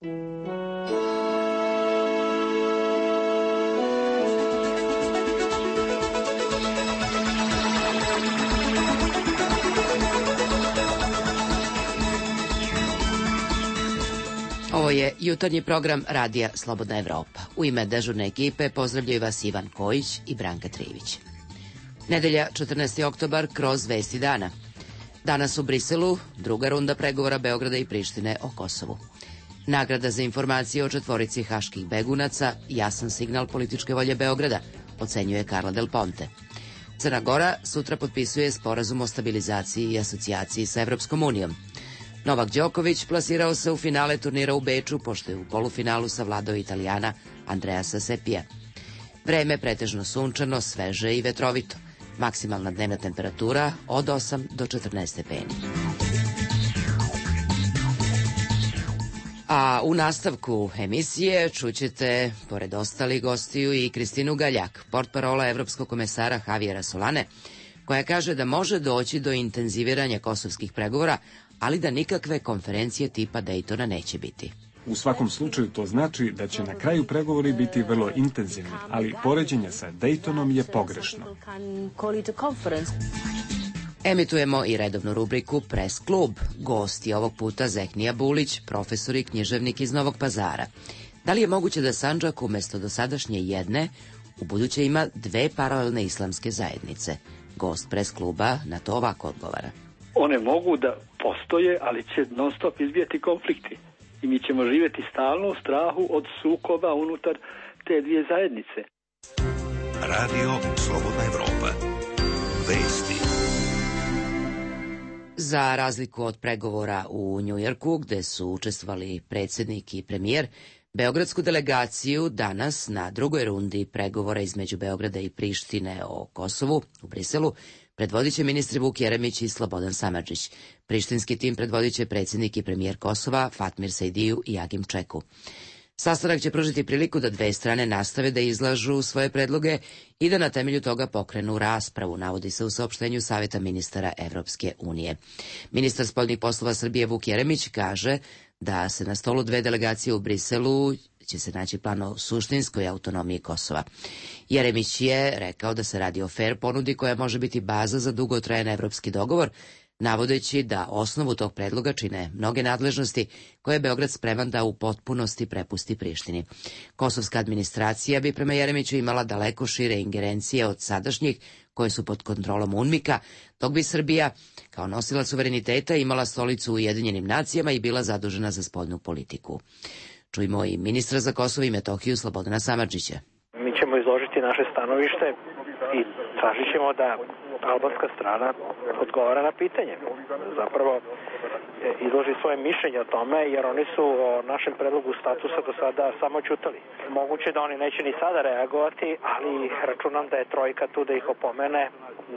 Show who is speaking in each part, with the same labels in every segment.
Speaker 1: Ovo je jutarnji program Radija Slobodna Evropa. U ime dežurne ekipe pozdravljaju vas Ivan Kojić i Branka Trivić. Nedelja, 14. oktobar, kroz vesti dana. Danas u Briselu druga runda pregovora Beograda i Prištine o Kosovu. Nagrada za informacije o četvorici haških begunaca, jasan signal političke volje Beograda, ocenjuje Carla Del Ponte. Crna Gora sutra potpisuje sporazum o stabilizaciji i asocijaciji sa Evropskom unijom. Novak Đoković plasirao se u finale turnira u Beču, pošto je u polufinalu savladao Italijana Andreasa Sepija. Vreme pretežno sunčano, sveže i vetrovito. Maksimalna dnevna temperatura od 8 do 14 stepeni. A u nastavku emisije čućete, pored ostalih gostiju, i Kristinu Galjak, portparola Evropskog komesara Javiera Solane, koja kaže da može doći do intenziviranja kosovskih pregovora, ali da nikakve konferencije tipa Daytona neće biti.
Speaker 2: U svakom slučaju to znači da će na kraju pregovori biti vrlo intenzivni, ali poređenje sa Daytonom je pogrešno.
Speaker 1: Emitujemo i redovnu rubriku Press klub. Gost je ovog puta Zehnija Bulić, profesor i književnik iz Novog Pazara. Da li je moguće da Sandžak umesto dosadašnje jedne u buduće ima dve paralelne islamske zajednice? Gost Press kluba na to ovako odgovara.
Speaker 3: One mogu da postoje, ali će non stop izbijati konflikti. I mi ćemo živjeti stalno u strahu od sukoba unutar te dvije zajednice.
Speaker 4: Radio Slobodna Evropa. Vesti.
Speaker 1: Za razliku od pregovora u Njujorku, gde su učestvovali predsjednik i premijer, beogradsku delegaciju danas na drugoj rundi pregovora između Beograda i Prištine o Kosovu u Briselu predvodit će ministri Vuk Jeremić i Slobodan Samardžić. Prištinski tim predvodit će predsjednik i premijer Kosova Fatmir Sejdiju i Agim Čeku. Sastanak će pružiti priliku da dve strane nastave da izlažu svoje predloge i da na temelju toga pokrenu raspravu, navodi se u saopštenju Saveta ministara Evropske unije. Ministar spoljnih poslova Srbije Vuk Jeremić kaže da se na stolu dve delegacije u Briselu će se naći plan o suštinskoj autonomiji Kosova. Jeremić je rekao da se radi o fair ponudi koja može biti baza za dugotrajan evropski dogovor, navodeći da osnovu tog predloga čine mnoge nadležnosti koje je Beograd spreman da u potpunosti prepusti Prištini. Kosovska administracija bi prema Jeremiću imala daleko šire ingerencije od sadašnjih koje su pod kontrolom UNMIK-a, dok bi Srbija kao nosilac suvereniteta imala stolicu u Ujedinjenim nacijama i bila zadužena za spoljnu politiku. Čujmo i ministra za Kosovo i Metohiju Slobodana Samardžića.
Speaker 5: Mi ćemo izložiti naše stanovište i tražit ćemo da albanska strana odgovara na pitanje. Zapravo izloži svoje mišljenje o tome, jer oni su o našem predlogu statusa do sada samo ćutali. Moguće da oni neće ni sada reagovati, ali računam da je trojka tu da ih opomene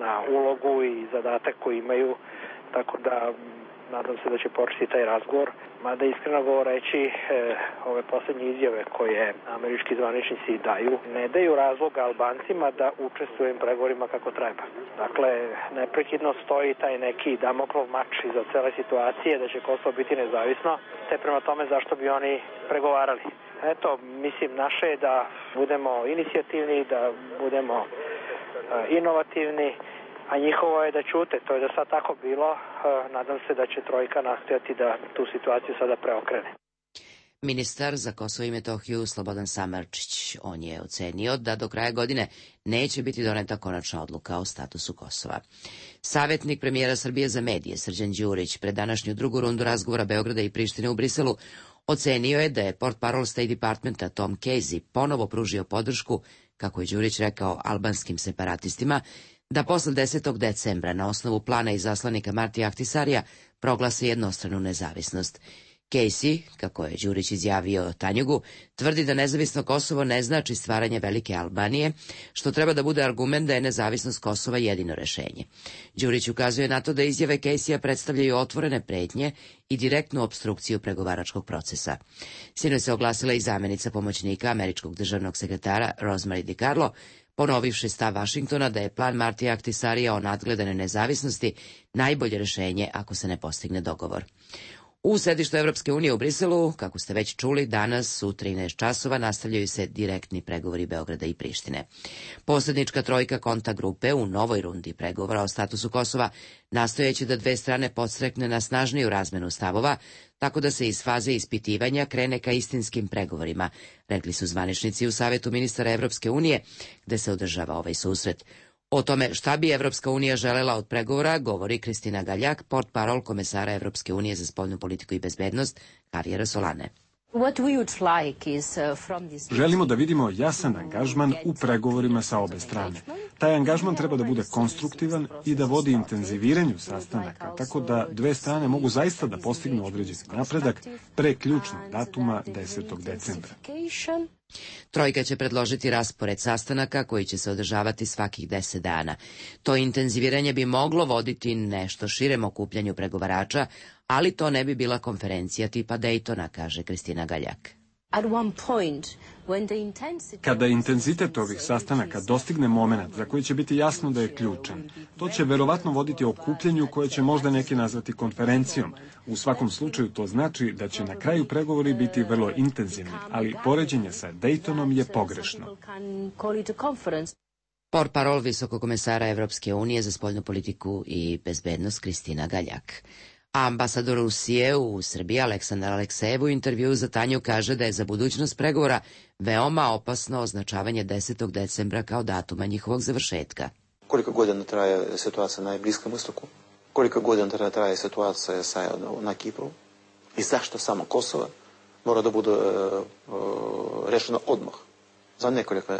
Speaker 5: na ulogu i zadatak koji imaju, tako da nadam se da će početi taj razgovor. Mada iskreno govoreći, ove posljednje izjave koje američki zvaničnici daju, ne daju razloga Albancima da učestvuju u pregovorima kako treba. Dakle, neprekidno stoji taj neki Damoklov mač iza cele situacije da će Kosovo biti nezavisno, te prema tome zašto bi oni pregovarali. Eto, mislim, naše je da budemo inicijativni, da budemo inovativni, a njihovo je da ćute. To je da sad tako bilo. Nadam se da će trojka nastojati da tu situaciju sada preokrene.
Speaker 1: Ministar za Kosovo i Metohiju Slobodan Samardžić, on je ocenio da do kraja godine neće biti doneta konačna odluka o statusu Kosova. Savjetnik premijera Srbije za medije Srđan Đurić pred današnju drugu rundu razgovora Beograda i Prištine u Briselu ocenio je da je portparol State Departmenta Tom Casey ponovo pružio podršku, kako je Đurić rekao, albanskim separatistima, da posle 10. decembra na osnovu plana izaslanika Martija Ahtisarija proglase jednostranu nezavisnost. Casey, kako je Đurić izjavio Tanjugu, tvrdi da nezavisno Kosovo ne znači stvaranje velike Albanije, što treba da bude argument da je nezavisnost Kosova jedino rešenje. Đurić ukazuje na to da izjave Casey-a predstavljaju otvorene pretnje i direktnu opstrukciju pregovaračkog procesa. Sinoć se oglasila i zamenica pomoćnika američkog državnog sekretara Rosemary DiCarlo, ponovivši stav Vašingtona da je plan Martija Ahtisarija o nadgledanoj nezavisnosti najbolje rešenje ako se ne postigne dogovor. U sedištu Evropske unije u Briselu, kako ste već čuli, danas u 13 časova nastavljaju se direktni pregovori Beograda i Prištine. Posrednička trojka kontakt grupe u novoj rundi pregovora o statusu Kosova nastojeći da dve strane podstrekne na snažniju razmenu stavova, tako da se iz faze ispitivanja krene ka istinskim pregovorima, rekli su zvaničnici u Savetu ministara Evropske unije, gde se održava ovaj susret. O tome šta bi Evropska unija želela od pregovora govori Kristina Galjak, portparol komesara Evropske unije za spoljnu politiku i bezbednost, Javiera Solane.
Speaker 2: Želimo da vidimo jasan angažman u pregovorima sa obe strane. Taj angažman treba da bude konstruktivan i da vodi intenziviranju sastanaka, tako da dve strane mogu zaista da postignu određeni napredak pre ključnog datuma 10. decembra.
Speaker 1: Trojka će predložiti raspored sastanaka koji će se održavati svakih 10 dana. To intenziviranje bi moglo voditi nešto širem okupljanju pregovarača, ali to ne bi bila konferencija tipa Daytona, kaže Kristina Galjak.
Speaker 2: Kada intenzitet ovih sastanaka dostigne moment za koji će biti jasno da je ključan, to će verovatno voditi okupljenju koje će možda neki nazvati konferencijom. U svakom slučaju to znači da će na kraju pregovori biti vrlo intenzivni, ali poređenje sa Daytonom je pogrešno.
Speaker 1: Portparol visokog komesara Evropske unije za spoljnu politiku i bezbednost Kristina Galjak. Ambasador Rusije u Srbiji Aleksandar Aleksejev u intervjuu za Tanju kaže da je za budućnost pregovora veoma opasno označavanje 10. decembra kao datuma njihovog završetka.
Speaker 6: Koliko godina traje situacija na Bliskom istoku? Koliko godina traje situacija na Kipru? I zašto samo Kosovo mora da bude rešeno odmah, za nekoliko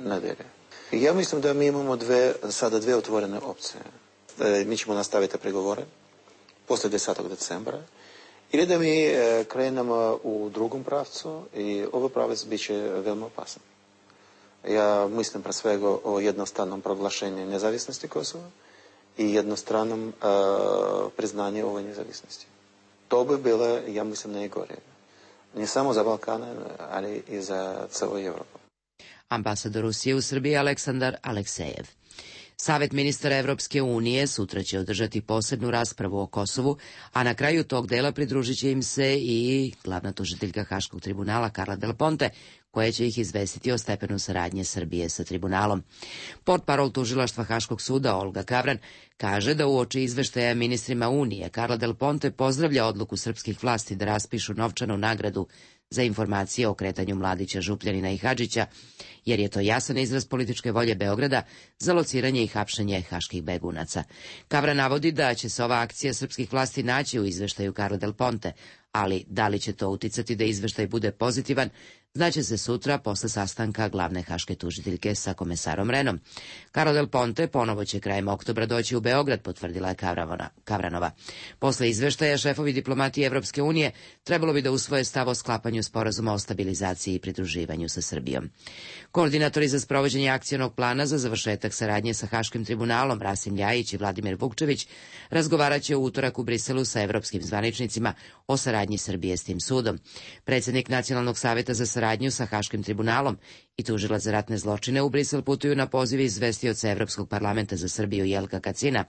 Speaker 6: nedelje? Ja mislim da mi imamo sada dve otvorene opcije. Mi ćemo nastaviti pregovore posle 10. decembra ili da mi krenemo u drugom pravcu i ovaj pravac bit će veoma opasan. Ja mislim pre svega o jednostranom proglašenju nezavisnosti Kosova i jednostranom priznanju ove nezavisnosti. To bi bilo, ja mislim, najgore. Ne samo za Balkana, ali i za celu Evropu.
Speaker 1: Ambasador Rusije u Srbiji Aleksandar Aleksejev. Savet ministara Evropske unije sutra će održati posebnu raspravu o Kosovu, a na kraju tog dela pridružit će im se i glavna tužiteljka Haškog tribunala Carla Del Ponte, koja će ih izvestiti o stepenu saradnje Srbije sa tribunalom. Portparol tužilaštva Haškog suda Olga Kavran kaže da uoči izveštaja ministrima Unije Carla Del Ponte pozdravlja odluku srpskih vlasti da raspišu novčanu nagradu za informacije o kretanju Mladića, Župljanina i Hadžića, jer je to jasan izraz političke volje Beograda za lociranje i hapšenje haških begunaca. Kavra navodi da će se ova akcija srpskih vlasti naći u izveštaju Carla Del Ponte, ali da li će to uticati da izveštaj bude pozitivan, znaće se sutra posle sastanka glavne haške tužiteljke sa komesarom Renom. Carla Del Ponte ponovo će krajem oktobra doći u Beograd, potvrdila je Kavranova. Posle izveštaja šefovi diplomatije Evropske unije trebalo bi da usvoje stav o sklapanju sporazuma o stabilizaciji i pridruživanju sa Srbijom. Koordinatori za sprovođenje akcionog plana za završetak saradnje sa Haškim tribunalom Rasim Ljajić i Vladimir Vukčević razgovaraće u utorak u Briselu sa evropskim zvaničnicima o saradnji Srbije s tim sudom. Predsjednik Nacionalnog saveta za saradnju sa Haškim tribunalom i tužilac za ratne zločine u Brisel putuju na poziv izvestioca Evropskog parlamenta za Srbiju Jelka Kacina,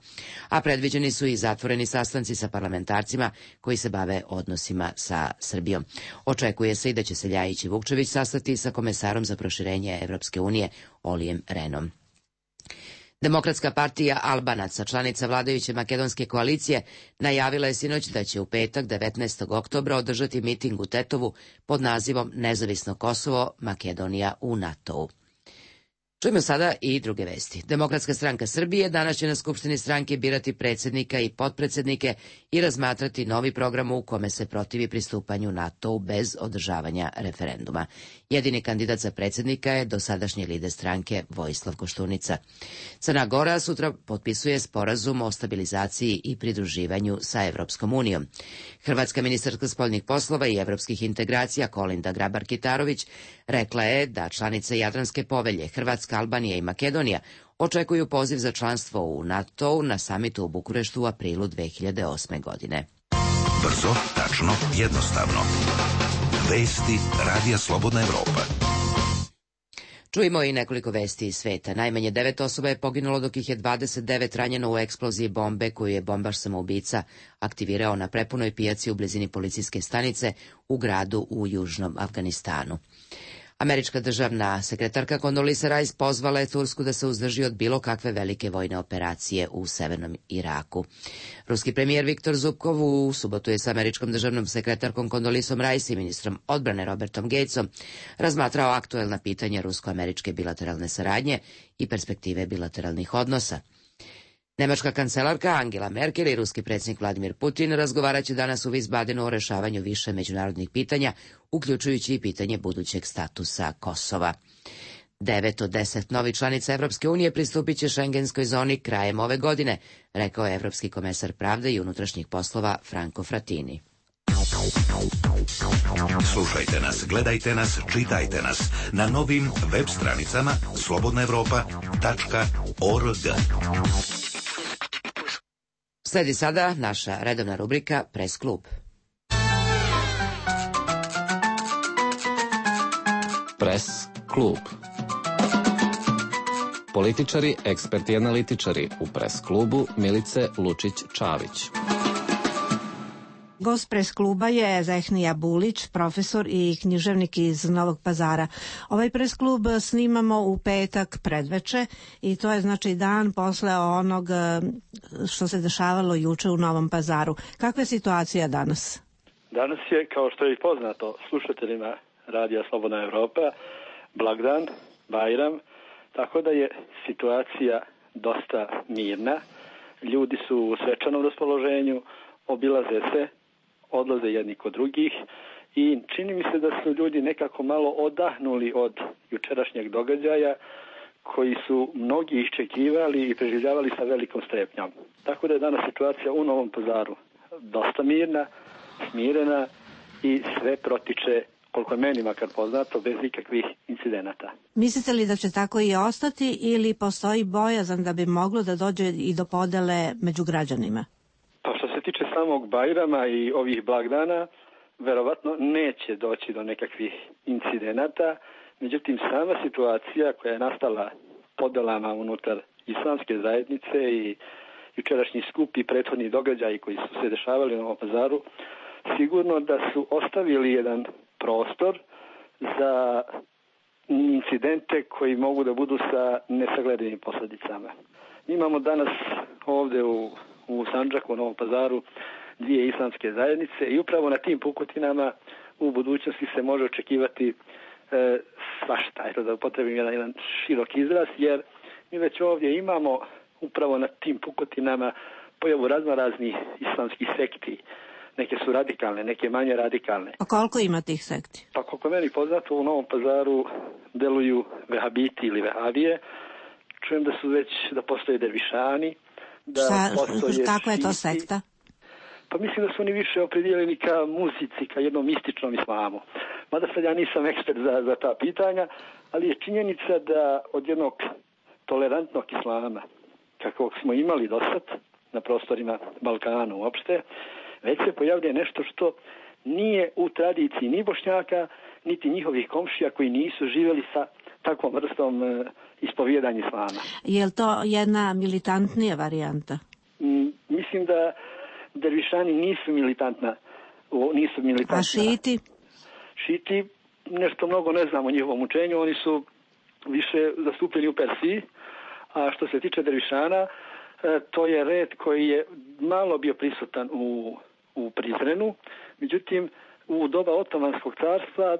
Speaker 1: a predviđeni su i zatvoreni sastanci sa parlamentarcima koji se bave odnosima sa Srbijom. Očekuje se i da će se Ljajić i Vukčević sastati sa komesarom za proširenje Evropske unije Olijem Renom. Demokratska partija Albanaca, članica vladajuće makedonske koalicije, najavila je sinoć da će u petak 19. oktobra održati miting u Tetovu pod nazivom Nezavisno Kosovo, Makedonija u NATO-u. Čujemo sada i druge vesti. Demokratska stranka Srbije danas će na Skupštini stranke birati predsjednika i potpredsjednike i razmatrati novi program u kome se protivi pristupanju NATO-u bez održavanja referenduma. Jedini kandidat za predsjednika je dosadašnji lider stranke Vojislav Koštunica. Crna Gora sutra potpisuje sporazum o stabilizaciji i pridruživanju sa Evropskom unijom. Hrvatska ministarka spoljnih poslova i evropskih integracija Kolinda Grabar-Kitarović rekla je da članice Jadranske povelje Hrvatska, Albanija i Makedonija očekuju poziv za članstvo u NATO-u na samitu u Bukureštu u aprilu 2008. godine.
Speaker 4: Brzo, tačno, jednostavno. Vesti Radija Slobodna Evropa.
Speaker 1: Čujemo i nekoliko vesti iz sveta. Najmanje 9 osoba je poginulo, dok ih je 29 ranjeno u eksploziji bombe koju je bombaš samoubica aktivirao na prepunoj pijaci u blizini policijske stanice u gradu u južnom Afganistanu. Američka državna sekretarka Condoleezza Rice pozvala je Tursku da se uzdrži od bilo kakve velike vojne operacije u severnom Iraku. Ruski premijer Viktor Zubkov u subotu je sa američkom državnom sekretarkom Condoleezzom Rice i ministrom odbrane Robertom Gatesom razmatrao aktuelna pitanja rusko-američke bilateralne saradnje i perspektive bilateralnih odnosa. Nemačka kancelarka Angela Merkel i ruski predsjednik Vladimir Putin razgovaraće danas u Wiesbadenu o rešavanju više međunarodnih pitanja, uključujući i pitanje budućeg statusa Kosova. 9 od 10 novih članica Evropske unije pristupit će šengenskoj zoni krajem ove godine, rekao je evropski komesar pravde i unutrašnjih poslova Franco Frattini.
Speaker 4: Slušajte nas, gledajte nas, čitajte nas na novim web stranicama slobodnaevropa.org.
Speaker 1: Sledi sada naša redovna rubrika Pres klub.
Speaker 7: Pres klub. Političari, eksperti i analitičari u Pres klubu Milice Lučić-Čavić.
Speaker 8: Gost Pres kluba je Zehnija Bulić, profesor i književnik iz Novog Pazara. Ovaj Pres klub snimamo u petak predveče i to je znači dan posle onog što se dešavalo juče u Novom Pazaru. Kakva je situacija danas?
Speaker 3: Danas je, kao što je i poznato slušateljima Radija Slobodna Evropa, blagdan, Bajram, tako da je situacija dosta mirna. Ljudi su u svečanom raspoloženju, obilaze se, odlaze jedni kod drugih i čini mi se da su ljudi nekako malo odahnuli od jučerašnjeg događaja koji su mnogi iščekivali i preživljavali sa velikom strepnjom. Tako da je danas situacija u Novom Pazaru dosta mirna, smirena i sve protiče, koliko je meni makar poznato, bez ikakvih incidenata.
Speaker 8: Mislite li da će tako i ostati ili postoji bojazan da bi moglo da dođe i do podele među građanima?
Speaker 3: Pa što se tiče samog Bajrama i ovih blagdana, verovatno neće doći do nekakvih incidenata, međutim sama situacija koja je nastala podelama unutar islamske zajednice i jučerašnji skup i prethodni događaji koji su se dešavali u Novom Pazaru, sigurno da su ostavili jedan prostor za incidente koji mogu da budu sa nesagledivim posljedicama. Imamo danas ovde u Sandžaku, u Novom Pazaru, dvije islamske zajednice i upravo na tim pukotinama u budućnosti se može očekivati svašta, eto da upotrebim jedan širok izraz, jer mi već ovdje imamo upravo na tim pukotinama pojavu raznoraznih islamskih sekti. Neke su radikalne, neke manje radikalne.
Speaker 8: A koliko ima tih sekti?
Speaker 3: Pa koliko meni poznato, u Novom Pazaru deluju vehabiti ili vehabije. Čujem da postoje dervišani.
Speaker 8: Kako je to sekta?
Speaker 3: Pa mislim da su oni više opredijeljeni ka muzici, ka jednom mističnom islamu. Mada sad ja nisam ekspert za ta pitanja, ali je činjenica da od jednog tolerantnog islama, kakvog smo imali do sad na prostorima Balkana uopšte, već se pojavlja nešto što nije u tradiciji ni Bošnjaka, niti njihovih komšija koji nisu živjeli sa takvom vrstom ispovjedanja islama.
Speaker 8: Je li to jedna militantnija varijanta?
Speaker 3: Mislim da dervišani nisu militantna.
Speaker 8: A šiti?
Speaker 3: Šiti, nešto mnogo ne znam o njihovom učenju, oni su više zastupljeni u Persiji, a što se tiče dervišana, to je red koji je malo bio prisutan u Prizrenu, međutim u doba Otomanskog carstva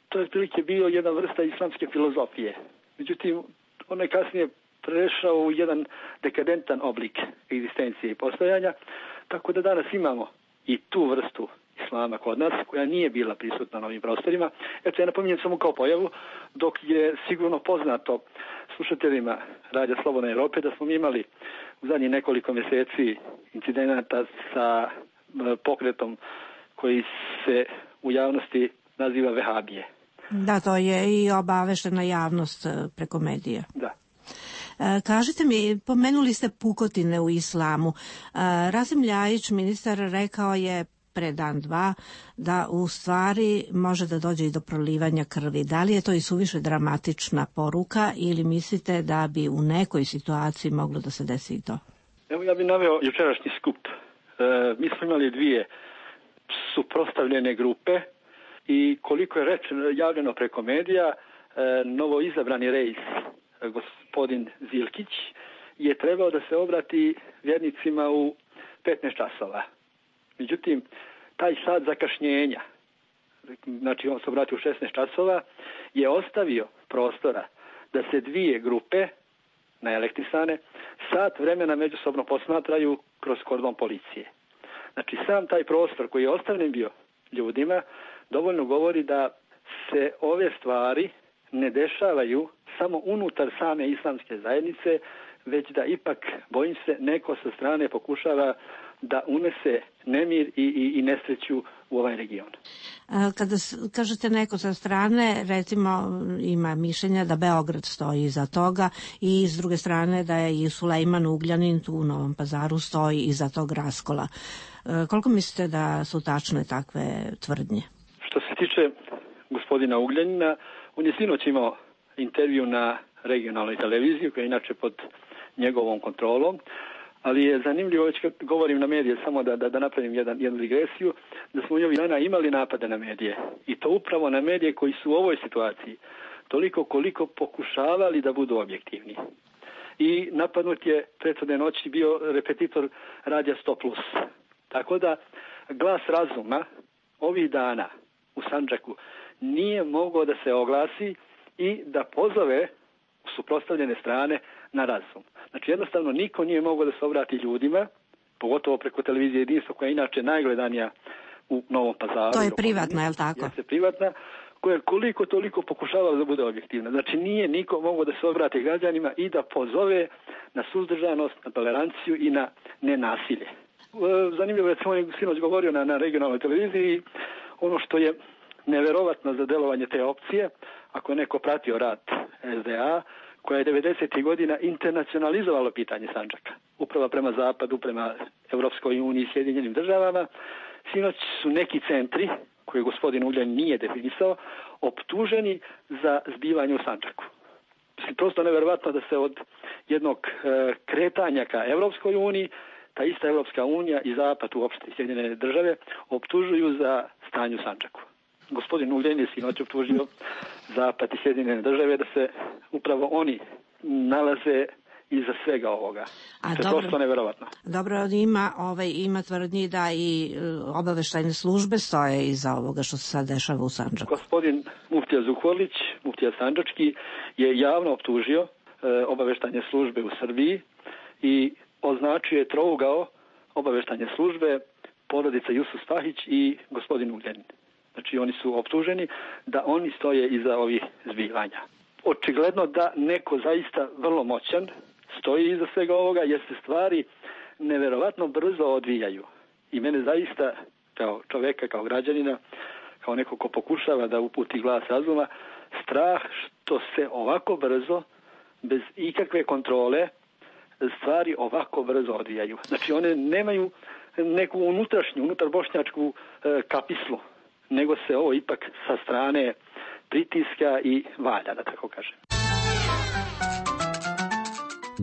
Speaker 3: to je otprilike bio jedna vrsta islamske filozofije. Međutim, on je kasnije prešao u jedan dekadentan oblik egzistencije i postojanja, tako da danas imamo i tu vrstu islama kod nas, koja nije bila prisutna na ovim prostorima. Eto, ja napominjem samo kao pojavu, dok je sigurno poznato slušateljima Radija Slobodne Evrope da smo imali u zadnjih nekoliko mjeseci incidenata sa pokretom koji se u javnosti naziva vehabije.
Speaker 8: Da, to je i obaveštena javnost preko medija.
Speaker 3: Da.
Speaker 8: Kažite mi, pomenuli ste pukotine u islamu. Rasim Ljajić, ministar, rekao je pre dan, dva, da u stvari može da dođe i do prolivanja krvi. Da li je to i suviše dramatična poruka ili mislite da bi u nekoj situaciji moglo da se desi i to?
Speaker 3: Evo ja bih naveo jučerašnji skup. Mi smo imali dvije suprotstavljene grupe i koliko je rečeno javljeno preko medija, novoizabrani reis, gospodin Zilkić, je trebao da se obrati vjernicima u 15 časova. Međutim, taj sat zakašnjenja, znači on se obratio u 16 časova, je ostavio prostora da se dvije grupe naelektrisane sat vremena međusobno posmatraju kroz kordon policije. Znači sam taj prostor koji je ostavljen bio ljudima dovoljno govori da se ove stvari ne dešavaju samo unutar same islamske zajednice, već da ipak, bojim se, neko sa strane pokušava da unese nemir i nesreću u ovaj region.
Speaker 8: Kada kažete neko sa strane, recimo ima mišljenja da Beograd stoji iza toga i s druge strane da je i Sulejman Ugljanin tu u Novom Pazaru stoji iza tog raskola. Koliko mislite da su tačne takve tvrdnje?
Speaker 3: Što se tiče gospodina Ugljanina, on je sinoć imao intervju na regionalnoj televiziji koja je inače pod njegovom kontrolom, ali je zanimljivo, već kad govorim na medije, samo da napravim jednu digresiju, da smo ovih dana imali napade na medije. I to upravo na medije koji su u ovoj situaciji toliko koliko pokušavali da budu objektivni. I napadnut je prethodne noći bio repetitor radija 100+. Tako da glas razuma ovih dana u Sandžaku nije mogao da se oglasi i da pozove suprotstavljene strane na razum. Znači jednostavno niko nije mogao da se obrati ljudima, pogotovo preko televizije Jedinstvo koja je inače najgledanija u Novom Pazaru.
Speaker 8: To je privatna, je li tako?
Speaker 3: Jeste privatna, koja koliko toliko pokušavala da bude objektivna. Znači nije niko mogao da se obrati građanima i da pozove na suzdržanost, na toleranciju i na nenasilje. Zanimljivo je da sam on sinoć govorio na regionalnoj televiziji, ono što je neverovatno za delovanje te opcije, ako je neko pratio rad SDA, koja je 90. godina internacionalizovala pitanje Sandžaka. Upravo prema Zapadu, prema Evropskoj uniji i Sjedinjenim državama. Sinoć su neki centri, koje gospodin Ugljanin nije definisao, optuženi za zbivanje u Sandžaku. Prosto neverovatno da se od jednog kretanja ka Evropskoj uniji, ta ista Evropska unija i Zapad uopšte i Sjedinjene države optužuju za stanje u Sandžaku. Gospodin Ugljanin je sinoć optužio Zapad i Sjedinjene države da se upravo oni nalaze iza svega ovoga. To je prosto neverovatno.
Speaker 8: Dobro, ima tvrdnji da i obaveštajne službe stoje iza ovoga što se sad dešava u Sandžaku.
Speaker 3: Gospodin muftija Zukorlić, muftija Sandžački, je javno optužio obaveštajne službe u Srbiji i označio je trougao obaveštajne službe, porodica Jusuf Spahić i gospodin Ugljanin. Znači oni su optuženi da oni stoje iza ovih zbivanja. Očigledno da neko zaista vrlo moćan stoji iza svega ovoga jer se stvari neverovatno brzo odvijaju. I mene zaista kao čoveka, kao građanina, kao neko ko pokušava da uputi glas razuma, strah što se ovako brzo, bez ikakve kontrole, stvari ovako brzo odvijaju. Znači one nemaju neku unutarbošnjačku kapislu, nego se ovo ipak sa strane pritiska i valja, da tako kažem.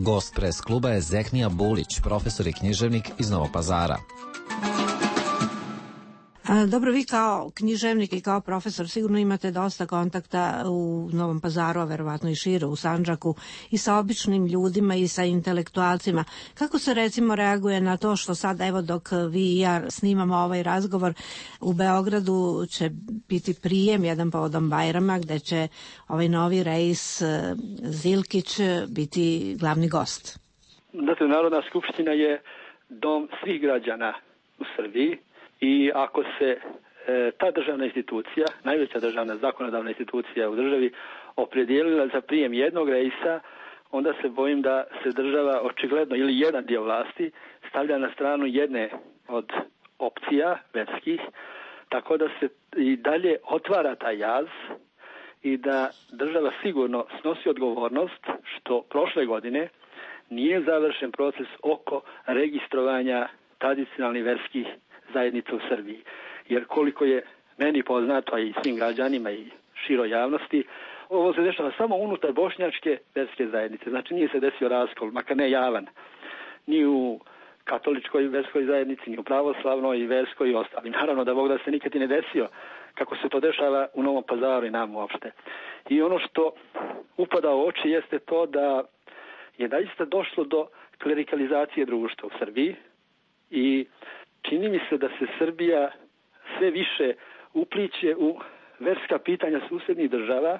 Speaker 7: Gost pres kluba je Zehnija Bulić, profesor i književnik iz Novog Pazara.
Speaker 8: Dobro, vi kao književnik i kao profesor sigurno imate dosta kontakta u Novom Pazaru, a verovatno i šire u Sandžaku, i sa običnim ljudima i sa intelektualcima. Kako se recimo reaguje na to što sad, evo dok vi i ja snimamo ovaj razgovor, u Beogradu će biti prijem jedan povodom Bajrama gde će ovaj novi reis Zilkić biti glavni gost?
Speaker 3: Znate, Narodna skupština je dom svih građana u Srbiji. I ako se ta državna institucija, najveća državna zakonodavna institucija u državi, opredijelila za prijem jednog reisa, onda se bojim da se država očigledno ili jedan dio vlasti stavlja na stranu jedne od opcija verskih, tako da se i dalje otvara taj jaz i da država sigurno snosi odgovornost što prošle godine nije završen proces oko registrovanja tradicionalnih verskih zajednica u Srbiji. Jer koliko je meni poznato, a i svim građanima i široj javnosti, ovo se dešava samo unutar bošnjačke verske zajednice. Znači nije se desio raskol, makar ne javan, ni u katoličkoj verskoj zajednici, ni u pravoslavnoj verskoj i ostalim. Naravno da Bog da se nikad i ne desio kako se to dešava u Novom Pazaru i nam uopšte. I ono što upada u oči jeste to da je zaista došlo do klerikalizacije društva u Srbiji i čini mi se da se Srbija sve više upliće u verska pitanja susednih država,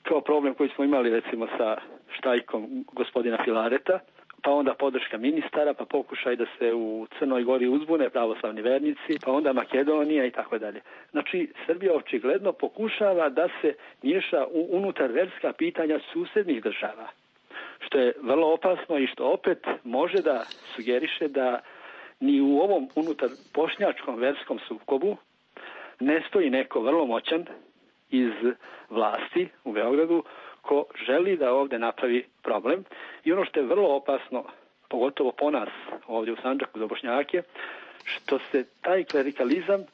Speaker 3: kao problem koji smo imali recimo sa štajkom gospodina Filareta, pa onda podrška ministara, pa pokušaj da se u Crnoj Gori uzbune pravoslavni vernici, pa onda Makedonija i tako dalje. Znači, Srbija očigledno pokušava da se miješa u unutar verska pitanja susednih država, što je vrlo opasno i što opet može da sugeriše da ni u ovom unutar bošnjačkom verskom sukobu ne stoji neko vrlo moćan iz vlasti u Beogradu ko želi da ovde napravi problem. I ono što je vrlo opasno, pogotovo po nas ovdje u Sandžaku za Bošnjake, što se taj klerikalizam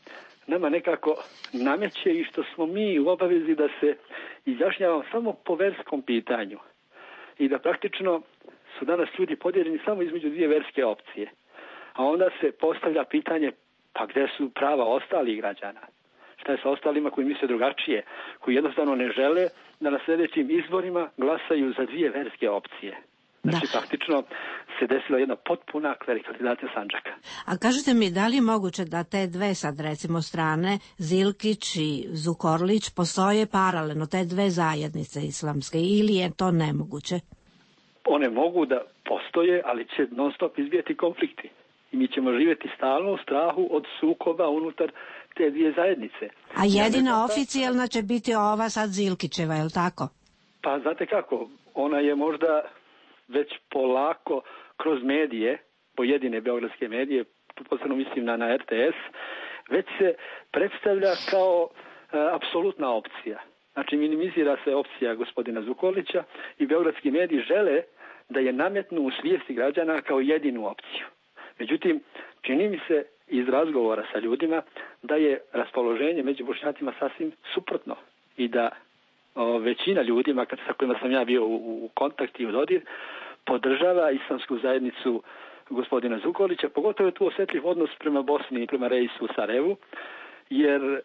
Speaker 3: nama nekako nameće i što smo mi u obavezi da se izjašnjavamo samo po verskom pitanju. I da praktično su danas ljudi podijeljeni samo između dvije verske opcije. A onda se postavlja pitanje, pa gde su prava ostalih građana? Šta je sa ostalima koji misle drugačije, koji jednostavno ne žele da na sljedećim izborima glasaju za dvije verske opcije? Znači, praktično se desila jedna potpuna klerikalizacija Sandžaka.
Speaker 8: A kažete mi, da li je moguće da te dve sad recimo strane, Zilkić i Zukorlić, postoje paralelno, te dve zajednice islamske, ili je to nemoguće?
Speaker 3: One mogu da postoje, ali će non stop izbijeti konflikti. I mi ćemo živjeti stalno u strahu od sukoba unutar te dvije zajednice.
Speaker 8: A jedina oficijalna će biti ova sad Zilkićeva, je li tako?
Speaker 3: Pa znate kako, ona je možda već polako kroz medije, pojedine beogradske medije, tu posebno mislim na RTS, već se predstavlja kao apsolutna opcija. Znači minimizira se opcija gospodina Zukorlića i beogradski mediji žele da je nametnu u svijesti građana kao jedinu opciju. Međutim, čini mi se iz razgovora sa ljudima da je raspoloženje među Bošnjacima sasvim suprotno i da većina ljudima sa kojima sam ja bio u kontakti i u dodir podržava islamsku zajednicu gospodina Zukorlića, pogotovo je tu osjetljiv odnos prema Bosni i prema Reisu u Sarajevu, jer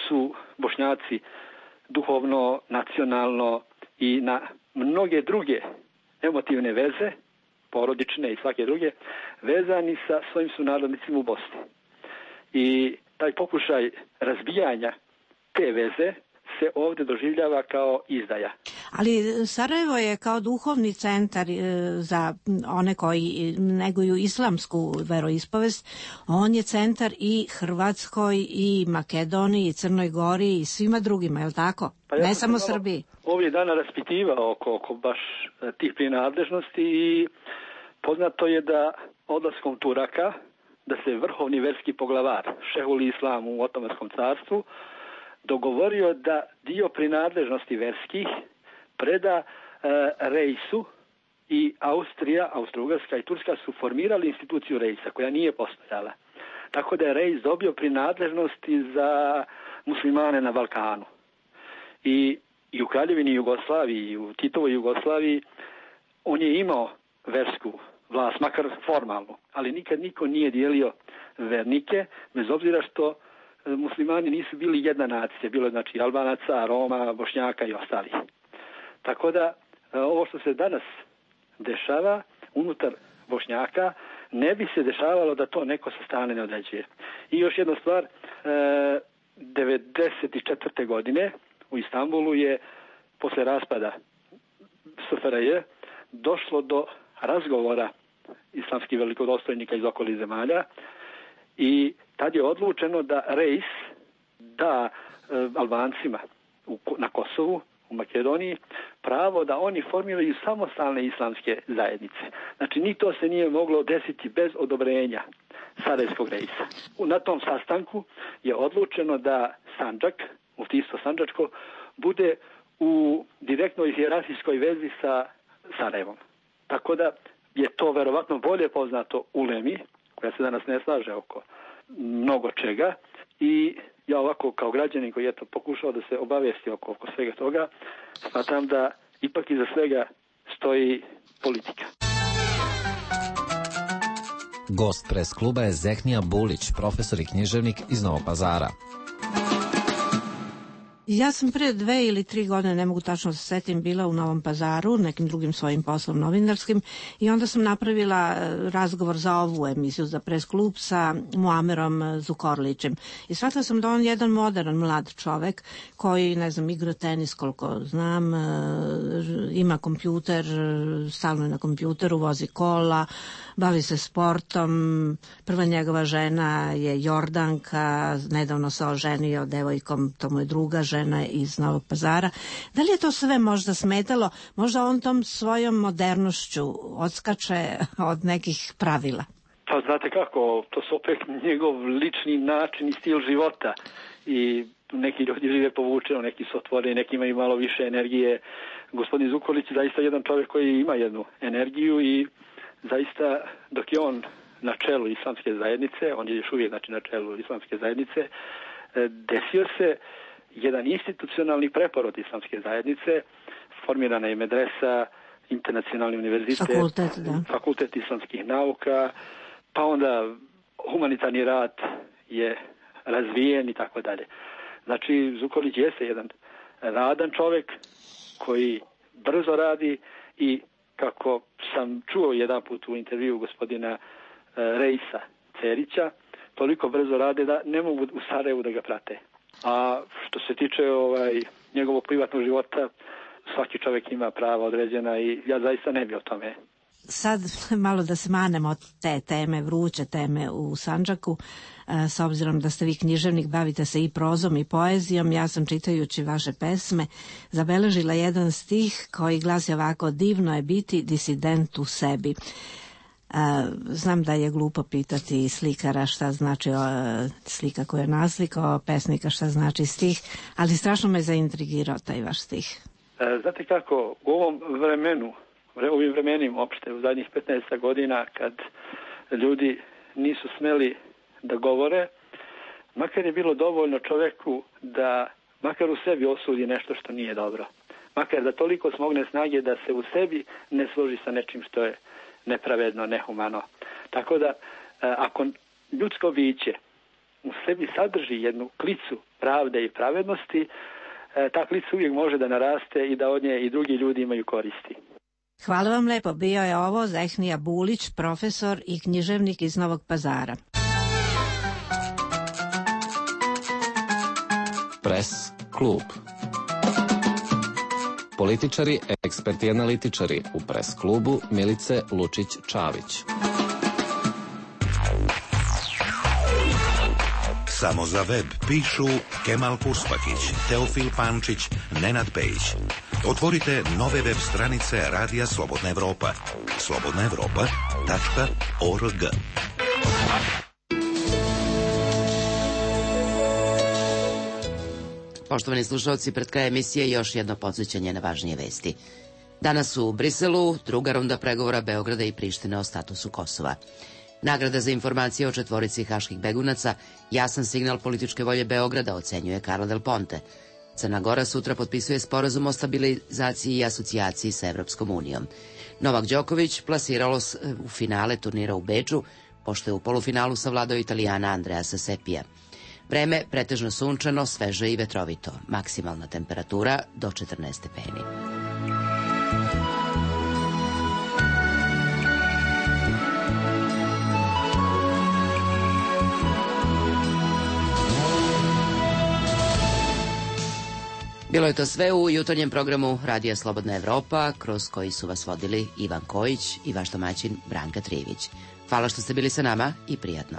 Speaker 3: su Bošnjaci duhovno, nacionalno i na mnoge druge emotivne veze, porodične i svake druge, vezani sa svojim sunarodnicima u Bosni. I taj pokušaj razbijanja te veze se ovdje doživljava kao izdaja.
Speaker 8: Ali Sarajevo je kao duhovni centar za one koji neguju islamsku veroispovest, on je centar i Hrvatskoj i Makedoniji i Crnoj Gori i svima drugima, je li tako? Pa ne samo Srbiji.
Speaker 3: Ovdje dana raspitivao oko baš tih prinadležnosti i poznato je da odlaskom Turaka, da se vrhovni verski poglavar Šehul Islam u Otomanskom carstvu dogovorio da dio prinadležnosti verskih preda Reisu i Austrija, Austro-Ugarska i Turska su formirali instituciju Reisa koja nije postojala. Tako da je Reis dobio prinadležnosti za muslimane na Balkanu. I u Kraljevini Jugoslaviji, i u Titovoj Jugoslaviji on je imao versku vlast, makar formalnu, ali nikad niko nije dijelio vernike, bez obzira što muslimani nisu bili jedna nacija, bilo je znači Albanaca, Roma, Bošnjaka i ostalih. Tako da ovo što se danas dešava unutar Bošnjaka ne bi se dešavalo da to neko sa strane ne određuje. I još jedna stvar, 1994. godine u Istanbulu je posle raspada SFRJ došlo do razgovora islamskih velikodostojnika iz okolnih zemalja i tad je odlučeno da Reis da Albancima na Kosovu, u Makedoniji, pravo da oni formiraju samostalne islamske zajednice. Znači, ni to se nije moglo desiti bez odobrenja Sarajevskog Reisa. Na tom sastanku je odlučeno da Sandžak, muftistvo Sandžačko, bude u direktnoj hijerarhijskoj vezi sa Sarajevom. Tako da je to verovatno bolje poznato ulemi, koja se danas ne slaže oko mnogo čega i ja ovako kao građanin koji je to pokušao da se obavijesti oko svega toga, smatram da ipak iza svega stoji politika.
Speaker 7: Gost pres kluba je Zehnija Bulić, profesor i književnik iz Novog Pazara.
Speaker 8: Ja sam pre 2 ili 3 godine, ne mogu tačno se setim, bila u Novom Pazaru, nekim drugim svojim poslom novinarskim i onda sam napravila razgovor za ovu emisiju, za pres klub sa Muamerom Zukorlićem. I shvatila sam da on je jedan modern mlad čovek koji, ne znam, igra tenis koliko znam, ima kompjuter, stalno je na kompjuteru, vozi kola, bavi se sportom. Prva njegova žena je Jordanka, nedavno se oženio devojkom, to mu je druga žena iz Novog Pazara. Da li je to sve možda smetalo? Možda on tom svojom modernošću odskače od nekih pravila?
Speaker 3: Pa znate kako, to su opet njegov lični način i stil života i neki ljudi žive povučeno, neki su otvoreni, neki imaju malo više energije. Gospodin Zukorlić je zaista jedan čovjek koji ima jednu energiju i zaista dok je on na čelu islamske zajednice, on je još uvijek na čelu islamske zajednice, desio se jedan institucionalni preporod islamske zajednice, formirana je medresa, internacionalni univerzitet, fakultet islamskih nauka, pa onda humanitarni rad je razvijen i tako dalje. Znači, Zukorlić jeste jedan radan čovjek koji brzo radi i kako sam čuo jedan put u intervju gospodina Reisa Cerića, toliko brzo rade da ne mogu u Sarajevu da ga prate. A što se tiče njegovog privatnog života, svaki čovjek ima prava određena i ja zaista ne bi o tome.
Speaker 8: Sad malo da se manemo od te teme, vruće teme u Sandžaku, s obzirom da ste vi književnik, bavite se i prozom i poezijom. Ja sam čitajući vaše pesme zabeležila jedan stih koji glasi ovako: divno je biti disident u sebi. Znam da je glupo pitati slikara šta znači slika koju je naslikao, pesnika šta znači stih, ali strašno me zaintrigirao taj vaš stih.
Speaker 3: Znate kako, u ovim vremenima opšte, u zadnjih 15 godina, kad ljudi nisu smeli da govore, makar je bilo dovoljno čoveku da makar u sebi osudi nešto što nije dobro. Makar da toliko smogne snage da se u sebi ne složi sa nečim što je nepravedno, nehumano. Tako da, ako ljudsko biće u sebi sadrži jednu klicu pravde i pravednosti, ta klica uvijek može da naraste i da od nje i drugi ljudi imaju koristi.
Speaker 8: Hvala vam lepo. Bio je ovo Zehnija Bulić, profesor i književnik iz Novog Pazara.
Speaker 7: Pres klub. Političari, eksperti i analitičari u pres klubu Milice Lučić-Čavić.
Speaker 4: Samo za web pišu Kemal Kurspakić, Teofil Pančić, Nenad Pejić. Otvorite nove web stranice Radija Slobodna Evropa. slobodnaevropa.org.
Speaker 1: Poštovani slušalci, pred kraj emisije još jedno podsjećanje na važnije vesti. Danas u Briselu druga runda pregovora Beograda i Prištine o statusu Kosova. Nagrada za informacije o 4 haških begunaca jasan signal političke volje Beograda, ocenjuje Carla Del Ponte. Crna Gora sutra potpisuje sporazum o stabilizaciji i asocijaciji sa Evropskom unijom. Novak Đoković plasiralo u finale turnira u Beču, pošto je u polufinalu savladao Italijana Andreasa Sepija. Vreme pretežno sunčano, sveže i vetrovito. Maksimalna temperatura do 14 stepeni. Bilo je to sve u jutarnjem programu Radija Slobodna Evropa, kroz koji su vas vodili Ivan Kojić i vaš domaćin Branka Trivić. Hvala što ste bili sa nama i prijatno.